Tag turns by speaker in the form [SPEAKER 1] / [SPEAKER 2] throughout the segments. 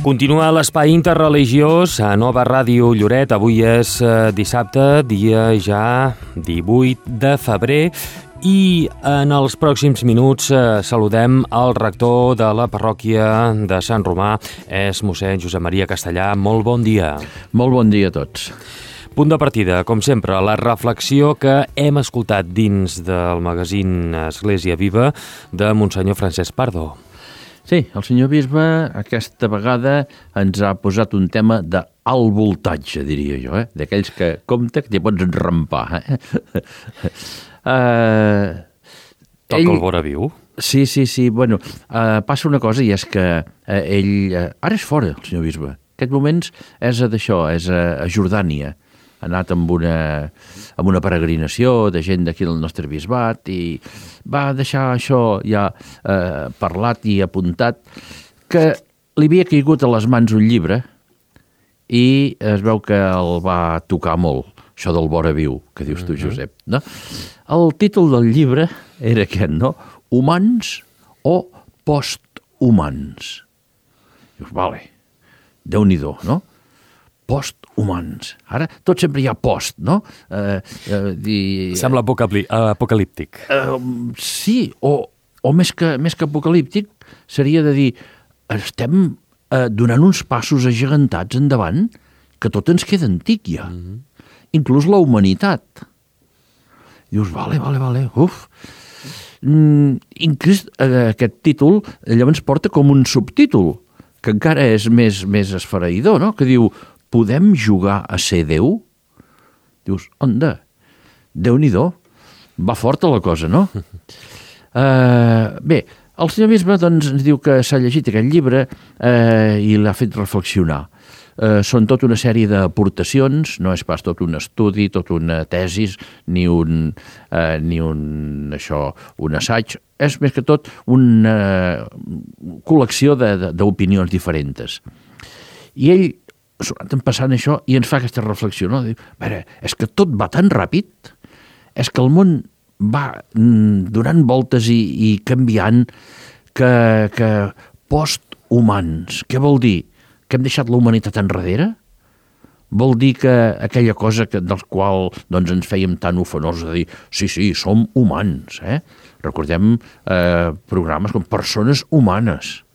[SPEAKER 1] Continua l'espai interreligiós a Nova Ràdio Lloret. Avui és dissabte, dia ja 18 de febrer, i en els pròxims minuts saludem el rector de la parròquia de Sant Romà, és mossèn Josep Maria Castellà. Molt bon dia.
[SPEAKER 2] Molt bon dia a tots.
[SPEAKER 1] Punt de partida, com sempre, la reflexió que hem escoltat dins del magazín Església Viva de Monsenyor Francesc Pardo.
[SPEAKER 2] Sí, el senyor bisbe aquesta vegada ens ha posat un tema d'alt voltatge, diria jo, d'aquells que compta que t'hi pots enrampar.
[SPEAKER 1] Toca el vora viu?
[SPEAKER 2] Sí. Bueno, passa una cosa, i és que ell... Ara és fora, el senyor bisbe. En aquests moments és a Jordània. Ha anat amb una peregrinació de gent d'aquí del nostre bisbat i va deixar això ja parlat i apuntat, que li havia caigut a les mans un llibre i es veu que el va tocar molt, això del vora viu, que dius tu, Josep, no? El títol del llibre era aquest, no? Humans o posthumans. Dius, vale, Déu-n'hi-do, no? Posthumans. Ara tot sempre hi ha post, no?
[SPEAKER 1] Sembla apocalíptic.
[SPEAKER 2] Sí, o més que apocalíptic seria de dir estem donant uns passos agegantats endavant que tot ens queda antic ja. Inclús la humanitat. Dius, vale, uf. Inclús aquest títol llavors porta com un subtítol que encara és més esfereïdor, no? Que diu, podem jugar a ser Déu? Dius, onda, Déu-n'hi-do, va forta la cosa, no? Bé, el senyor bisbe doncs, ens diu que s'ha llegit aquest llibre i l'ha fet reflexionar. Són tota una sèrie d'aportacions, no és pas tot un estudi, tot una tesis, ni un assaig, és més que tot una col·lecció d'opinions diferents. I ell s'ho ha anat passant això i ens fa aquesta reflexió, no? Diu, a veure, és que tot va tan ràpid, és que el món va donant voltes i canviant que posthumans, què vol dir? Que hem deixat la humanitat enrere? Vol dir que aquella cosa dels qual doncs, ens fèiem tan ufanosos de dir sí, som humans, Recordem programes com Persones Humanes.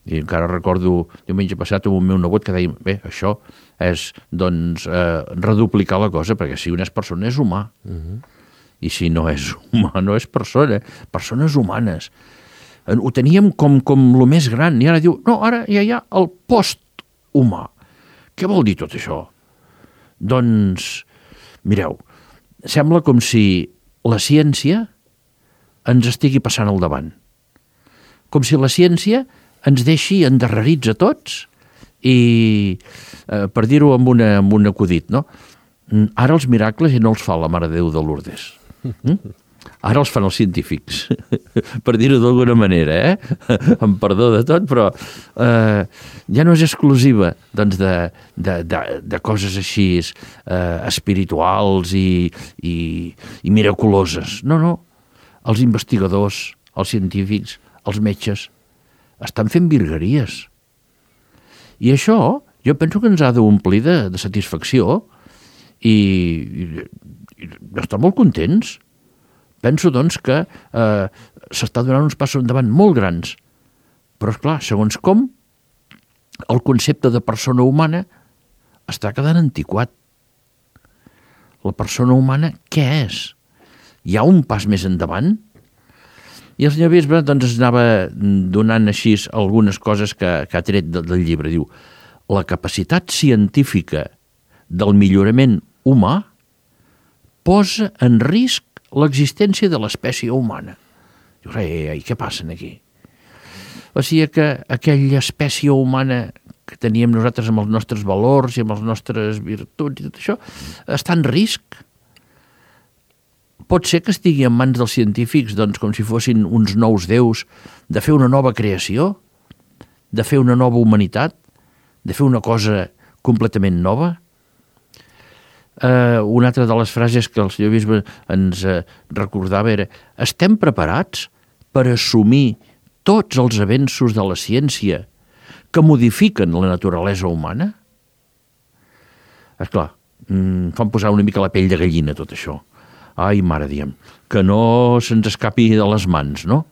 [SPEAKER 2] I encara recordo diumenge passat amb el meu nebot que deia, bé, això és doncs reduplicar la cosa, perquè si una és persona és humà. I si no és humà no és persona. Persones humanes. Ho teníem com el més gran, i ara diu, no, ara ja hi ha el posthumà. Què vol dir tot això? Doncs, mireu, sembla com si la ciència ens estigui passant al davant. Com si la ciència ens deixi endarrerits a tots i, per dir-ho amb un acudit, no? Ara els miracles ja no els fa la Mare de Déu de Lourdes. Ara els fan els científics, per dir-ho d'alguna manera, amb perdó de tot, però ja no és exclusiva doncs, de coses així espirituals i miraculoses. No. Els investigadors, els científics, els metges estan fent virgueries. I això jo penso que ens ha d'omplir de satisfacció i estar molt contents. Penso, doncs, que s'està donant uns passos endavant molt grans. Però, esclar, segons com, el concepte de persona humana està quedant antiquat. La persona humana, què és? Hi ha un pas més endavant? I el senyor bisbe doncs, es anava donant així algunes coses que ha tret del llibre. Diu, la capacitat científica del millorament humà posa en risc l'existència de l'espècie humana. Dius, què passa aquí? O sigui que aquella espècie humana que teníem nosaltres amb els nostres valors i amb les nostres virtuts i tot això, està en risc. Pot ser que estigui en mans dels científics, doncs, com si fossin uns nous déus, de fer una nova creació, de fer una nova humanitat, de fer una cosa completament nova. Una altra de les frases que el senyor bisbe ens recordava era: estem preparats per assumir tots els avenços de la ciència que modifiquen la naturalesa humana? Esclar, fan posar una mica la pell de gallina tot això. Ai, mare, diem, que no se'ns escapi de les mans, no?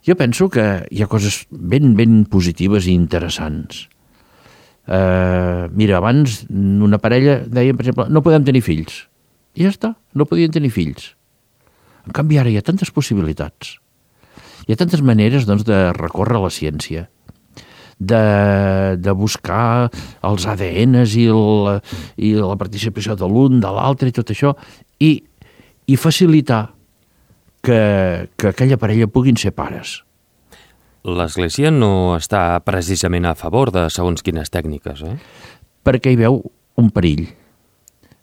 [SPEAKER 2] Jo penso que hi ha coses ben positives i interessants. Mira, abans una parella deia, per exemple, no podem tenir fills. I ja està, no podien tenir fills. En canvi, ara hi ha tantes possibilitats. Hi ha tantes maneres, doncs, de recórrer a la ciència, de buscar els ADNs i la participació de l'un, de l'altre i tot això, i facilitar que aquella parella puguin ser pares.
[SPEAKER 1] L'Església no està precisament a favor de segons quines tècniques, eh?
[SPEAKER 2] Perquè hi veu un perill.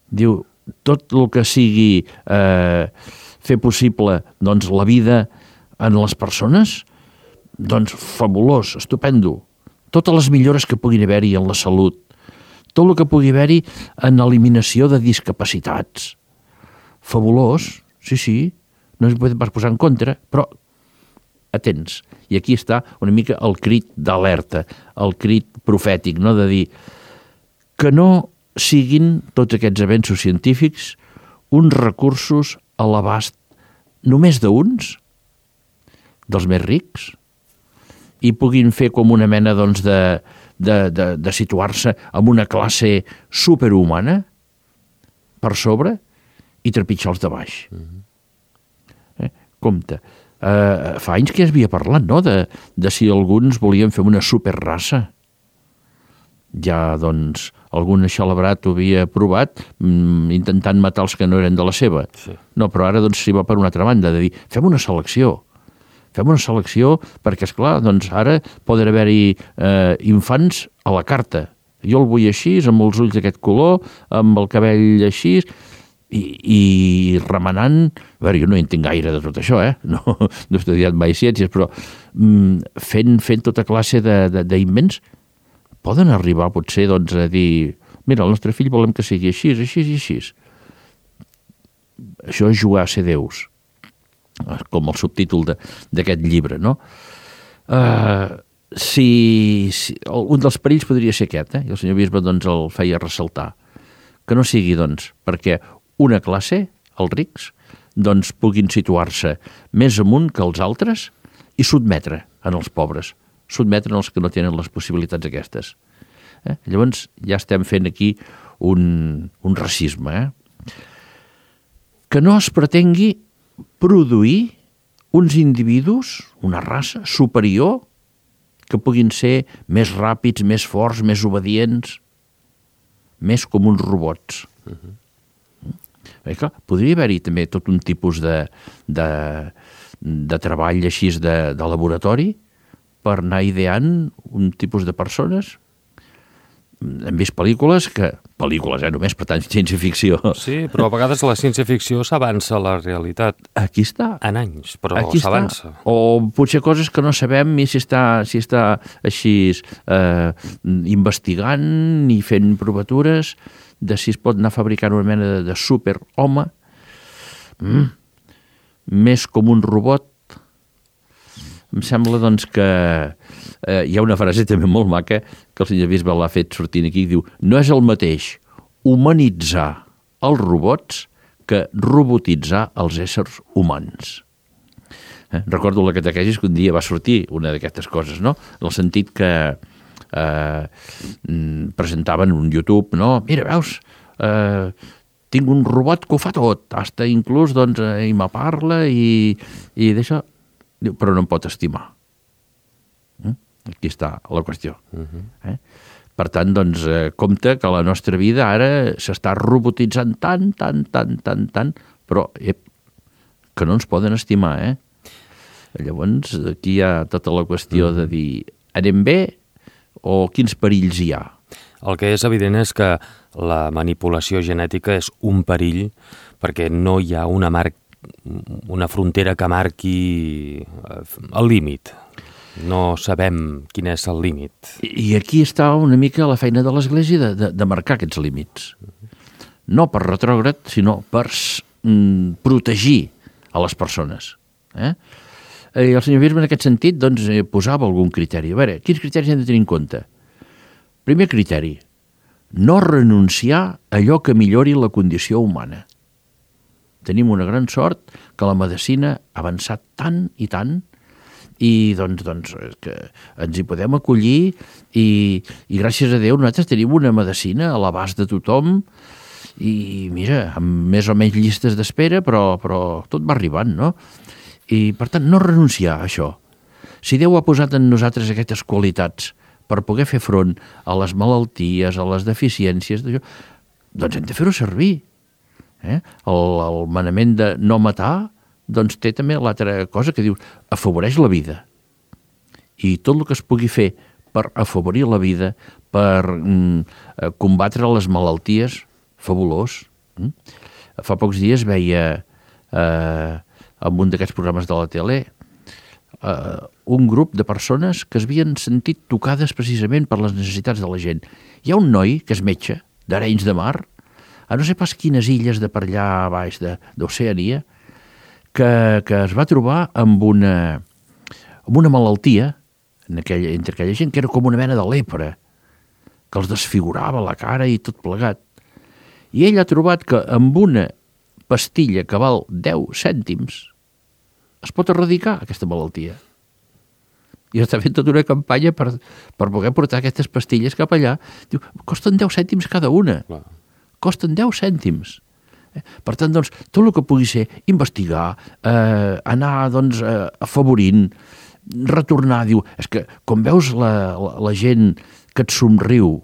[SPEAKER 2] Diu, tot el que sigui fer possible doncs, la vida en les persones, doncs fabulós, estupendo. Totes les millores que puguin haver-hi en la salut, tot el que pugui haver-hi en eliminació de discapacitats. Fabulós, sí, no es pot pas posar en contra, però atents. I aquí està una mica el crit d'alerta, el crit profètic, no? De dir que no siguin tots aquests avenços científics uns recursos a l'abast només d'uns, dels més rics, i puguin fer com una mena doncs, de situar-se en una classe superhumana per sobre i trepitjar els de baix. Compte, fa anys que ja s'havia parlat, no?, de si alguns volien fer una superraça. Ja, doncs, algun celebrat ho havia provat intentant matar els que no eren de la seva. Sí. No, però ara doncs s'hi va per una altra banda, de dir, fem una selecció perquè, esclar, doncs ara poden haver-hi infants a la carta. Jo el vull així, amb els ulls d'aquest color, amb el cabell així, i remenant, a veure, jo no entenc gaire de tot això, no he estudiat mai ciències, però fent tota classe d'invents, poden arribar potser doncs, a dir, mira, el nostre fill volem que sigui així i així. Això és jugar a ser déus, com el subtítol d'aquest llibre, no? Un dels perills podria ser aquest, i el senyor bisbe doncs, el feia ressaltar, que no sigui doncs, perquè una classe, els rics, doncs puguin situar-se més amunt que els altres i sotmetre en els pobres, sotmetre en els que no tenen les possibilitats aquestes. Llavors ja estem fent aquí un racisme. Que no es pretengui produir uns individus, una raça superior, que puguin ser més ràpids, més forts, més obedients, més com uns robots. Clar, podria haver-hi també tot un tipus de treball així de laboratori per anar ideant un tipus de persones. Hem vist pel·lícules, només per tant ciència-ficció.
[SPEAKER 1] Sí, però a vegades la ciència-ficció s'avança a la realitat.
[SPEAKER 2] Aquí està.
[SPEAKER 1] En anys, però s'avança.
[SPEAKER 2] O potser coses que no sabem ni si està així investigant ni fent provatures de si es pot anar fabricant una mena de superhome més com un robot. Em sembla, doncs, que hi ha una frase també molt maca que el senyor bisbe l'ha fet sortint aquí, diu, no és el mateix humanitzar els robots que robotitzar els éssers humans. Recordo la catequesis que un dia va sortir una d'aquestes coses, no? En el sentit que presentaven un YouTube, no? Mira, veus, tinc un robot que ho fa tot, hasta inclús, doncs, i me parla i d'això, però no em pot estimar. Aquí està la qüestió. Per tant, doncs, compte que la nostra vida ara s'està robotitzant tant, però que no ens poden estimar, Llavors, aquí hi ha tota la qüestió de dir, anem bé o quins perills hi ha?
[SPEAKER 1] El que és evident és que la manipulació genètica és un perill perquè no hi ha una frontera que marqui el límit. No sabem quin és el límit.
[SPEAKER 2] I aquí està una mica la feina de l'Església de marcar aquests límits. No per retrògrad, sinó per protegir a les persones. el senyor Bisbe en aquest sentit doncs, posava algun criteri. A veure, quins criteris hem de tenir en compte? Primer criteri, no renunciar a allò que millori la condició humana. Tenim una gran sort que la medicina ha avançat tant i doncs que ens hi podem acollir i gràcies a Déu nosaltres tenim una medicina a l'abast de tothom i mira, amb més o menys llistes d'espera, però tot va arribant, no? I per tant, no renunciar a això. Si Déu ha posat en nosaltres aquestes qualitats per poder fer front a les malalties, a les deficiències, doncs hem de fer-ho servir. El manament de no matar doncs té també l'altra cosa que diu afavoreix la vida. I tot el que es pugui fer per afavorir la vida, per combatre les malalties, fabulós. Fa pocs dies veia en un d'aquests programes de la tele un grup de persones que es havien sentit tocades precisament per les necessitats de la gent. Hi ha un noi que és metge d'Arenys de Mar, a no sé pas quines illes de per allà a baix d'Oceania, que es va trobar amb una malaltia entre aquella gent que era com una mena de lepra, que els desfigurava la cara i tot plegat. I ell ha trobat que amb una pastilla que val 10 cèntims es pot erradicar aquesta malaltia. I està fent tota una campanya per poder portar aquestes pastilles cap allà. Diu, costen 10 cèntims cada una. Clar. Costen 10 cèntims. Per tant, doncs, tot el que pugui ser investigar, anar doncs, afavorint, retornar, diu, és que com veus la gent que et somriu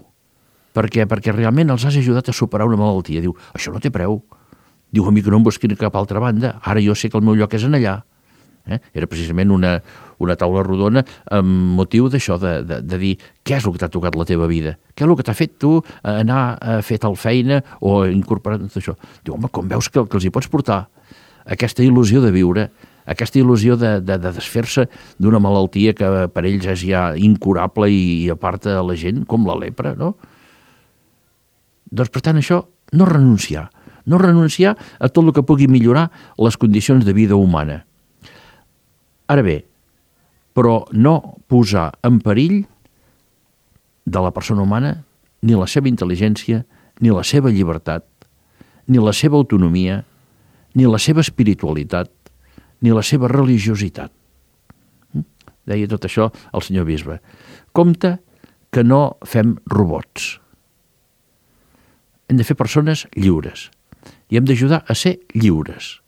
[SPEAKER 2] perquè realment els has ajudat a superar una malaltia, diu, això no té preu. Diu, a mi que no em busquin cap altra banda, ara jo sé que el meu lloc és en allà. Era precisament una taula rodona amb motiu d'això, de dir què és el que t'ha tocat la teva vida, què és el que t'ha fet tu anar a fer tal feina o incorporar tot això. Diu, home, com veus que els hi pots portar aquesta il·lusió de viure, aquesta il·lusió de desfer-se d'una malaltia que per ells és ja incurable i aparta la gent, com la lepra, no? Doncs, per tant, això, no renunciar a tot el que pugui millorar les condicions de vida humana. Ara bé, però no posar en perill de la persona humana ni la seva intel·ligència, ni la seva llibertat, ni la seva autonomia, ni la seva espiritualitat, ni la seva religiositat. Deia tot això el senyor bisbe. Compte que no fem robots. Hem de fer persones lliures i hem d'ajudar a ser lliures.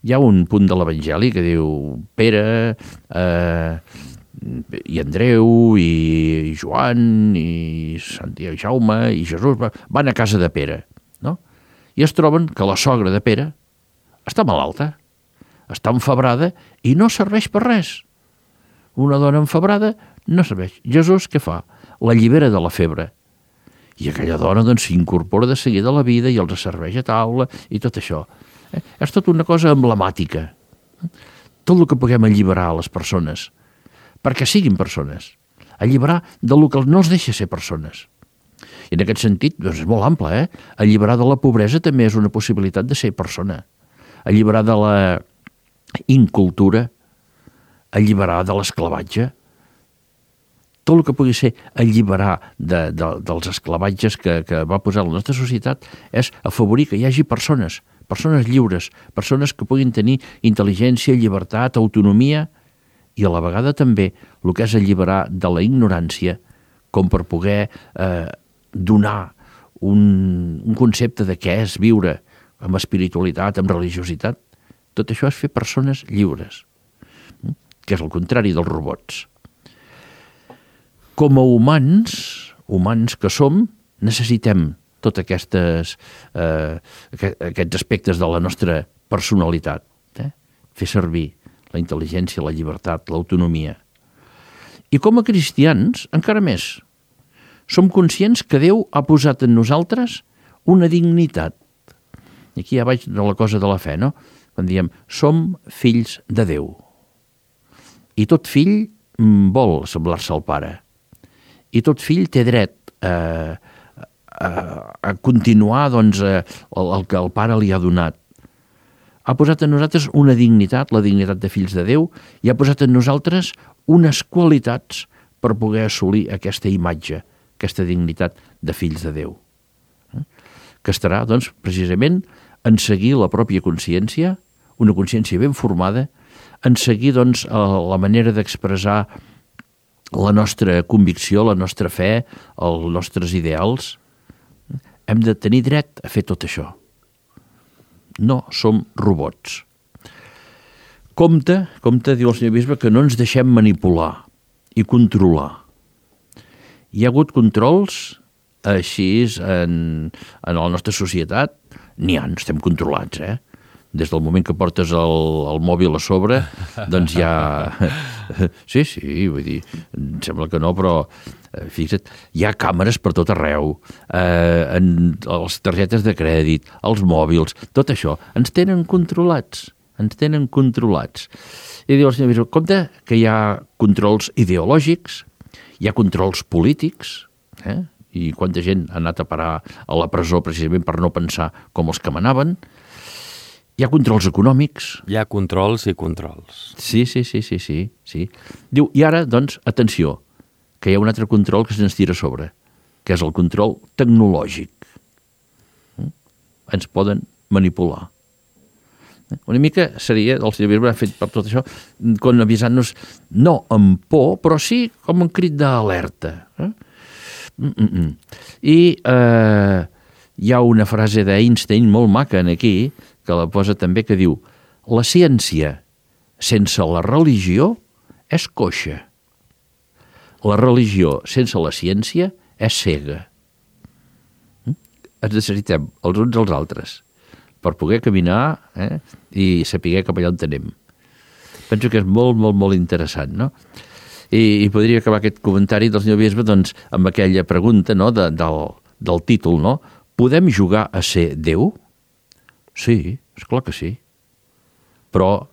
[SPEAKER 2] Hi ha un punt de l'Evangeli que diu Pere i Andreu i Joan i Santiago i Jaume i Jesús van a casa de Pere, no? I es troben que la sogra de Pere està malalta, està enfebrada i no serveix per res. Una dona enfebrada no serveix. Jesús què fa? La allibera de la febre. I aquella dona doncs s'incorpora de seguida a la vida i els serveix a taula i tot això. És tot una cosa emblemàtica. Tot el que puguem alliberar a les persones, perquè siguin persones, alliberar del que no els deixa ser persones. I en aquest sentit, doncs és molt ample, alliberar de la pobresa també és una possibilitat de ser persona. Alliberar de la incultura, alliberar de l'esclavatge, tot el que pugui ser alliberar dels esclavatges que va posar la nostra societat és afavorir que hi hagi persones lliures, persones que puguin tenir intel·ligència, llibertat, autonomia i a la vegada també el que és alliberar de la ignorància com per poder donar un concepte de què és viure amb espiritualitat, amb religiositat. Tot això és fer persones lliures, que és el contrari dels robots. Com a humans que som, necessitem tots aquests aspectes de la nostra personalitat. Fer servir la intel·ligència, la llibertat, l'autonomia. I com a cristians, encara més, som conscients que Déu ha posat en nosaltres una dignitat. I aquí ja vaig de la cosa de la fe, no? Quan diem, som fills de Déu. I tot fill vol semblar-se al pare. I tot fill té dret a continuar doncs, el que el pare li ha donat. ha posat en nosaltres una dignitat, la dignitat de fills de Déu, i ha posat en nosaltres unes qualitats per poder assolir aquesta imatge, aquesta dignitat de fills de Déu. Que estarà, doncs, precisament en seguir la pròpia consciència, una consciència ben formada, en seguir, doncs, la manera d'expressar la nostra convicció, la nostra fe, els nostres ideals. Hem de tenir dret a fer tot això. No som robots. Compte, diu el senyor bisbe, que no ens deixem manipular i controlar. Hi ha hagut controls així en la nostra societat? N'hi ha, estem controlats, Des del moment que portes el mòbil a sobre, doncs ja... Sí, vull dir, em sembla que no, però fixa't, hi ha càmeres per tot arreu, les targetes de crèdit, els mòbils, tot això, ens tenen controlats. I diu el senyor bisbe, compte que hi ha controls ideològics, hi ha controls polítics, i quanta gent ha anat a parar a la presó precisament per no pensar com els que manaven. Hi ha controls econòmics.
[SPEAKER 1] Hi ha controls i controls.
[SPEAKER 2] Sí. Diu, i ara, doncs, atenció, que hi ha un altre control que se'ns tira a sobre, que és el control tecnològic. Ens poden manipular. Una mica seria, el senyor bisbe ha fet per tot això, com avisant-nos, no amb por, però sí com un crit d'alerta. I hi ha una frase d'Einstein molt maca aquí, que la posa també, que diu: la ciència sense la religió és coixa. La religió sense la ciència és cega. Ens necessitem els uns als altres per poder caminar i saber cap allà on anem. Penso que és molt, molt, molt interessant, no? I podria acabar aquest comentari del senyor bisbe doncs, amb aquella pregunta, no, del títol, no? Podem jugar a ser Déu? Sí, esclar que sí. Però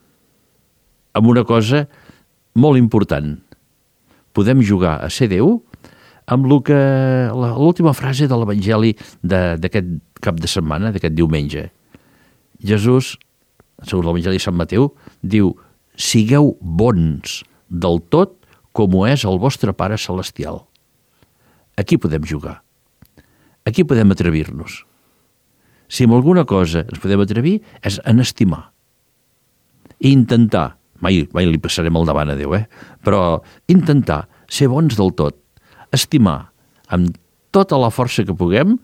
[SPEAKER 2] amb una cosa molt important. Podem jugar a ser Déu amb l'última frase de l'Evangeli d'aquest cap de setmana, d'aquest diumenge. Jesús, segons l'Evangeli de Sant Mateu, diu: sigueu bons del tot com ho és el vostre Pare Celestial. Aquí podem jugar. Aquí podem atrevir-nos. Si amb alguna cosa ens podem atrevir és en estimar. I intentar, mai li passarem al davant a Déu, però intentar ser bons del tot, estimar amb tota la força que puguem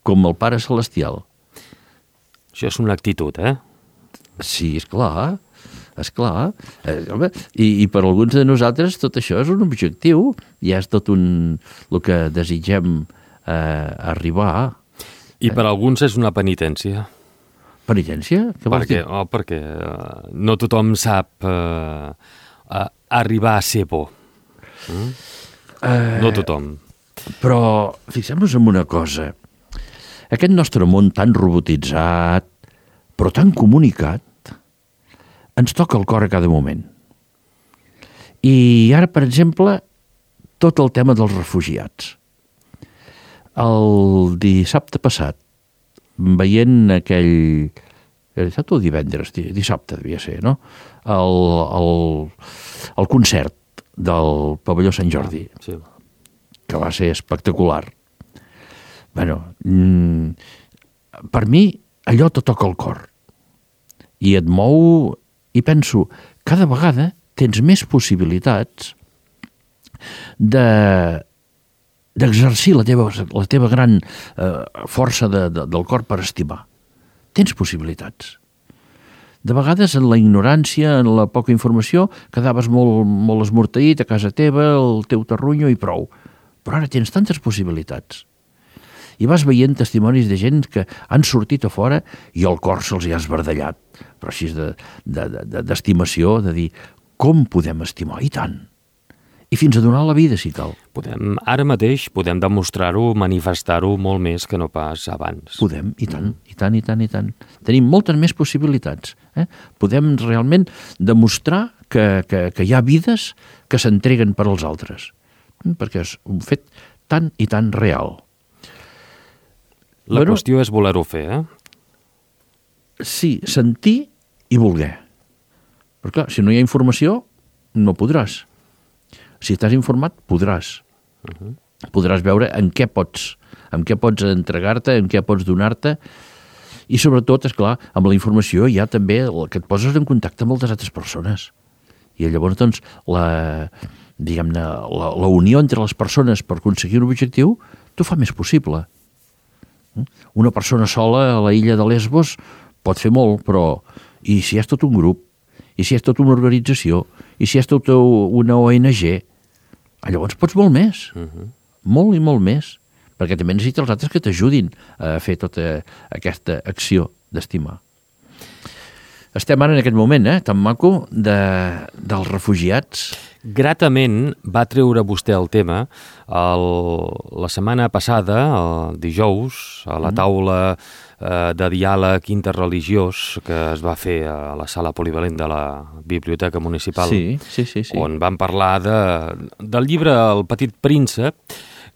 [SPEAKER 2] com el Pare Celestial.
[SPEAKER 1] Això és una actitud,
[SPEAKER 2] Sí, esclar. I per alguns de nosaltres tot això és un objectiu, i és tot el que desitgem arribar.
[SPEAKER 1] I per alguns és una penitència.
[SPEAKER 2] Penitència? Què vols dir?
[SPEAKER 1] Perquè no tothom sap arribar a ser bo. No tothom.
[SPEAKER 2] Però fixem-nos en una cosa. Aquest nostre món tan robotitzat, però tan comunicat, ens toca el cor a cada moment. I ara, per exemple, tot el tema dels refugiats. El dissabte passat, veient aquell... Dissabte o divendres? Dissabte devia ser, no? El concert del Pavelló Sant Jordi,
[SPEAKER 1] sí,
[SPEAKER 2] que va ser espectacular. Bueno, per mi allò te toca el cor. I et mou, i penso, cada vegada tens més possibilitats d'exercir la teva gran força del cor per estimar. Tens possibilitats. De vegades, en la ignorància, en la poca informació, quedaves molt esmorteït a casa teva, el teu terrunyo i prou. Però ara tens tantes possibilitats. I vas veient testimonis de gent que han sortit a fora i el cor se'ls ha esbardallat, però així d'estimació, de dir, com podem estimar? I tant. I fins a donar la vida, si cal.
[SPEAKER 1] Ara mateix podem demostrar-ho, manifestar-ho molt més que no pas abans.
[SPEAKER 2] Podem, i tant, i tant, i tant, i tant. Tenim moltes més possibilitats. Podem realment demostrar que hi ha vides que s'entreguen per als altres, perquè és un fet tan i tan real.
[SPEAKER 1] La qüestió és voler-ho fer,
[SPEAKER 2] Sí, sentir i voler. Però clar, si no hi ha informació, no podràs. Si estàs informat, podràs. Podràs veure en què pots entregar-te, en què pots donar-te, i sobretot, és clar, amb la informació hi ha també que et poses en contacte amb moltes altres persones. I llavors, doncs, la unió entre les persones per aconseguir un objectiu t'ho fa més possible. Una persona sola a la illa de Lesbos pot fer molt, però i si és tot un grup, i si és tota una organització, i si és tota una ONG, llavors pots molt més, molt i molt més, perquè també necessites els altres que t'ajudin a fer tota aquesta acció d'estimar. Estem ara en aquest moment, tan maco, dels refugiats.
[SPEAKER 1] Gratament va treure vostè el tema la setmana passada, el dijous, a la taula de diàleg interreligiós que es va fer a la sala polivalent de la Biblioteca Municipal,
[SPEAKER 2] sí.
[SPEAKER 1] on van parlar del llibre El petit príncep.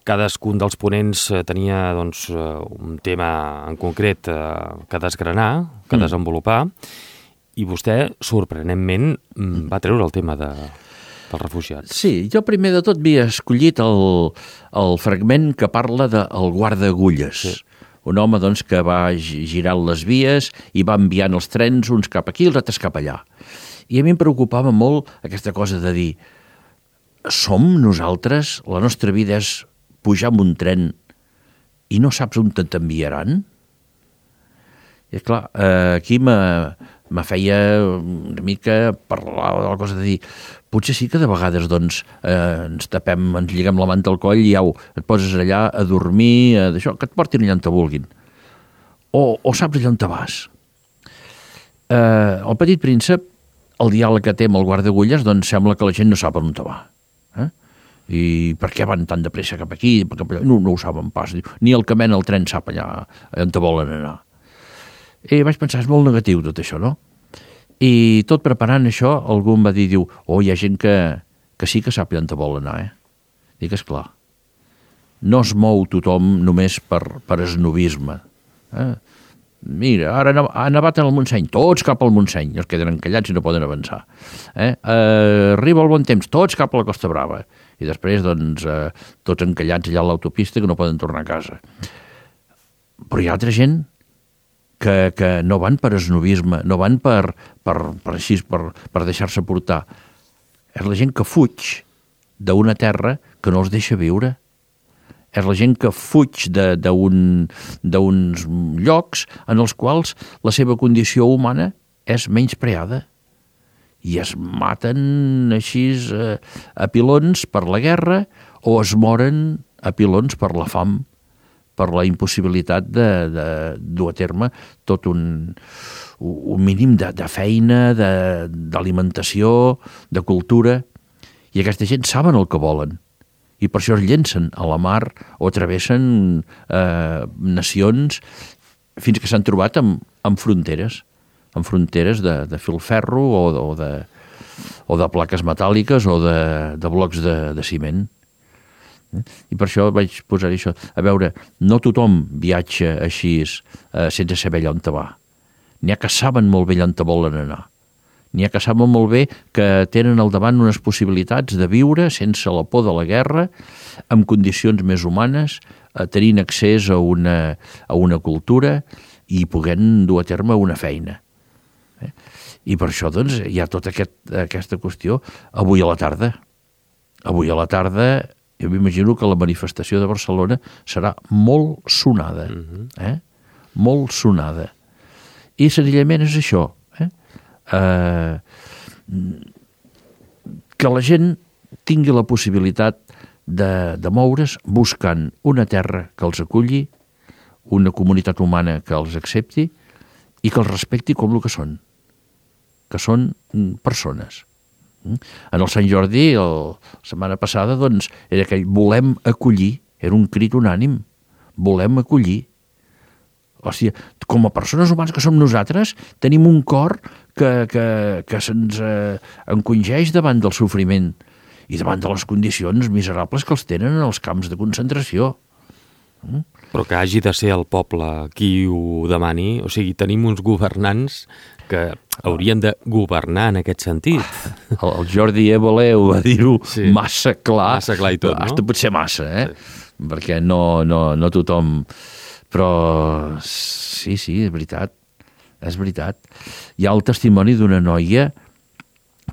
[SPEAKER 1] Cadascun dels ponents tenia doncs, un tema en concret que desgranar, que desenvolupar, i vostè, sorprenentment, va treure el tema dels refugiats.
[SPEAKER 2] Sí, jo primer de tot havia escollit el fragment que parla del guarda-agulles. Sí. Un home doncs, que va girant les vies i va enviant els trens uns cap aquí i els altres cap allà. I a mi em preocupava molt aquesta cosa de dir som nosaltres, la nostra vida és pujar en un tren i no saps on t'enviaran? I clar, aquí me feia una mica parlar de la cosa de dir potser sí que de vegades doncs, ens tapem, ens lliguem la manta al coll i au, et poses allà a dormir, d'això, que et portin allà on te vulguin. O saps allà on te vas. El petit príncep, el diàleg que té amb el guarda-agulles, doncs sembla que la gent no sap on te va. I per què van tan de pressa cap aquí? No ho saben pas. Ni el que mena el tren sap allà on te volen anar. I vaig pensar, és molt negatiu tot això, no? I tot preparant això, algú em va dir, hi ha gent que sí que sap on te vol anar, Dic, esclar, no es mou tothom només per esnovisme. Mira, ara ha nevat en el Montseny, tots cap al Montseny, els queden encallats i no poden avançar. Arriba el bon temps, tots cap a la Costa Brava. I després, doncs, tots encallats allà a l'autopista que no poden tornar a casa. Però hi ha altra gent que no van per esnovisme, no van per deixar-se portar. És la gent que fuig d'una terra que no els deixa viure. És la gent que fuig d'uns llocs en els quals la seva condició humana és menyspreada. I es maten així a pilons per la guerra o es moren a pilons per la fam, per la impossibilitat de dur a terme tot un mínim de feina, d'alimentació, de cultura. I aquesta gent saben el que volen. I per això es llencen a la mar o travessen nacions fins que s'han trobat amb fronteres de filferro o de plaques metàl·liques o de blocs de ciment. I per això vaig posar això. A veure, no tothom viatja així sense saber allà on te va. N'hi ha que saben molt bé allà on te volen anar. N'hi ha que saben molt bé que tenen al davant unes possibilitats de viure sense la por de la guerra, amb condicions més humanes, tenint accés a una cultura i podent dur a terme una feina. I per això doncs, hi ha tota aquesta qüestió avui a la tarda. Avui a la tarda jo m'imagino que la manifestació de Barcelona serà molt sonada. Molt sonada. I senzillament és això. Que la gent tingui la possibilitat de moure's buscant una terra que els aculli, una comunitat humana que els accepti i que els respecti com el que són persones. En el Sant Jordi, la setmana passada, doncs, era aquell volem acollir, era un crit unànim, volem acollir. O sigui, com a persones humanes que som nosaltres, tenim un cor que se'ns encongeix davant del sofriment i davant de les condicions miserables que els tenen en els camps de concentració.
[SPEAKER 1] Però que hagi de ser el poble qui ho demani, o sigui, tenim uns governants que haurien de governar en aquest sentit.
[SPEAKER 2] El Jordi Évole ho va dir-ho massa clar.
[SPEAKER 1] Massa clar i tot, no?
[SPEAKER 2] Hasta potser massa, perquè no tothom... Però sí, és veritat. És veritat. Hi ha el testimoni d'una noia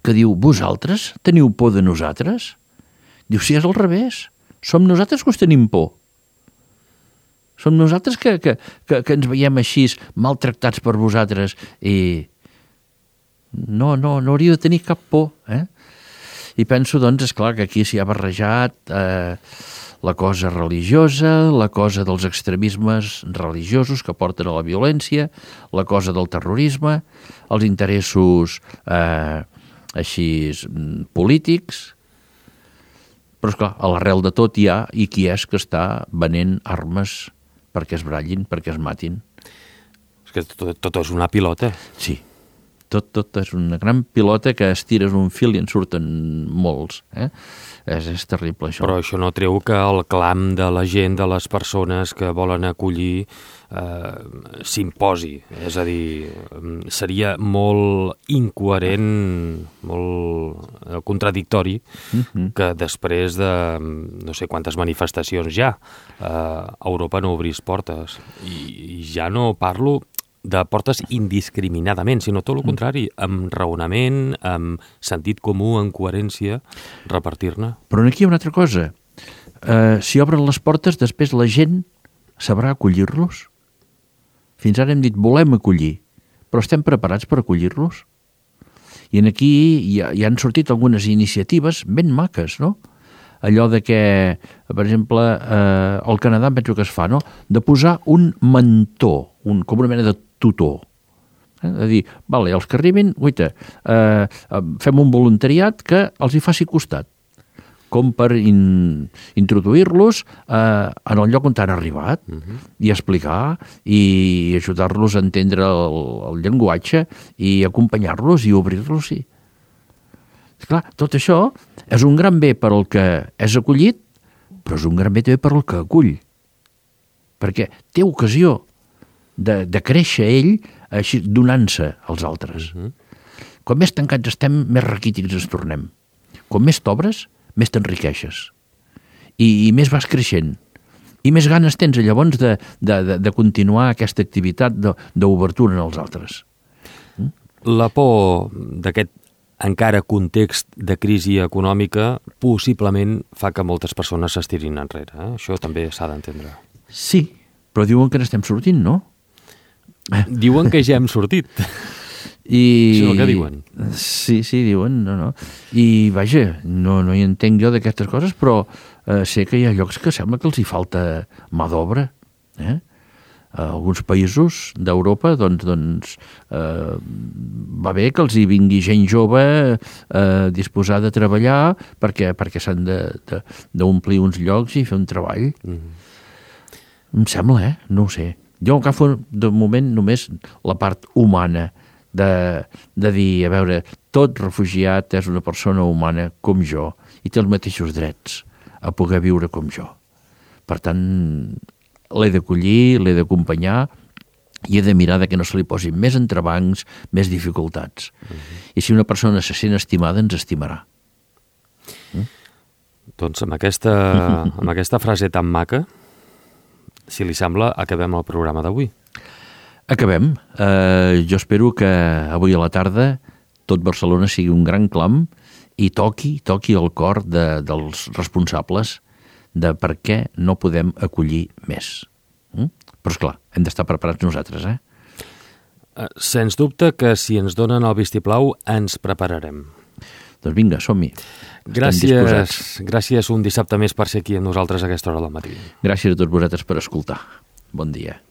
[SPEAKER 2] que diu, vosaltres teniu por de nosaltres? Diu, sí, és al revés. Som nosaltres que us tenim por. Som nosaltres que ens veiem així maltractats per vosaltres i no hauríeu de tenir cap por. I penso, doncs, esclar, que aquí s'hi ha barrejat la cosa religiosa, la cosa dels extremismes religiosos que porten a la violència, la cosa del terrorisme, els interessos així polítics. Però, esclar, a l'arrel de tot hi ha i qui és que està venent armes perquè es brallin, perquè es matin.
[SPEAKER 1] És que tot és una pilota.
[SPEAKER 2] Sí, tot és una gran pilota que estires un fil i en surten molts. És terrible, això.
[SPEAKER 1] Però això no treu que el clam de la gent, de les persones que volen acollir, s'imposi. És a dir, seria molt incoherent, molt contradictori que després de no sé quantes manifestacions ja Europa no obrís portes. I ja no parlo de portes indiscriminadament, sinó tot el contrari, amb raonament, amb sentit comú, amb coherència, repartir-ne.
[SPEAKER 2] Però aquí hi ha una altra cosa. Si obren les portes, després la gent sabrà acollir-los. Fins ara hem dit, volem acollir, però estem preparats per acollir-los? I aquí hi han sortit algunes iniciatives ben maques, no? Allò de que, per exemple, al Canadà penso que es fa, no? De posar un mentor, com una mena de tutor. De dir, vale, els que arribin, fem un voluntariat que els hi faci costat, com per introduir-los en el lloc on han arribat i explicar i ajudar-los a entendre el llenguatge i acompanyar-los i obrir-los. Clar, tot això és un gran bé per al que és acollit, però és un gran bé també per al que acull. Perquè té ocasió de créixer ell així donant-se als altres. Quan més tancats estem, més raquítics ens tornem. Quan més t'obres, més t'enriqueixes. I més vas creixent. I més ganes tens llavors de continuar aquesta activitat d'obertura en els altres.
[SPEAKER 1] La por d'aquest encara context de crisi econòmica possiblement fa que moltes persones s'estirin enrere. Això també s'ha d'entendre.
[SPEAKER 2] Sí, però diuen que n'estem sortint, no?
[SPEAKER 1] Diuen que ja hem sortit.
[SPEAKER 2] Això
[SPEAKER 1] és el que diuen.
[SPEAKER 2] Sí, diuen, no. I vaja, no hi entenc jo d'aquestes coses, però sé que hi ha llocs que sembla que els hi falta mà d'obra. A alguns països d'Europa doncs va bé que els hi vingui gent jove disposada a treballar perquè s'han d'omplir uns llocs i fer un treball. Em sembla, no ho sé. Jo agafo de moment només la part humana de dir, a veure, tot refugiat és una persona humana com jo i té els mateixos drets a poder viure com jo. Per tant, l'he d'acollir, l'he d'acompanyar i he de mirar que no se li posin més entrebancs, més dificultats. I si una persona se sent estimada, ens estimarà.
[SPEAKER 1] Doncs amb aquesta frase tan maca, si li sembla, acabem el programa d'avui.
[SPEAKER 2] Acabem. Jo espero que avui a la tarda tot Barcelona sigui un gran clam i toqui el cor dels responsables de per què no podem acollir més. Però, esclar, hem d'estar preparats nosaltres,
[SPEAKER 1] Sens dubte que si ens donen el vistiplau ens prepararem.
[SPEAKER 2] Doncs vinga, som-hi.
[SPEAKER 1] Gràcies un dissabte més per ser aquí amb nosaltres a aquesta hora del matí.
[SPEAKER 2] Gràcies a tots vosaltres per escoltar. Bon dia.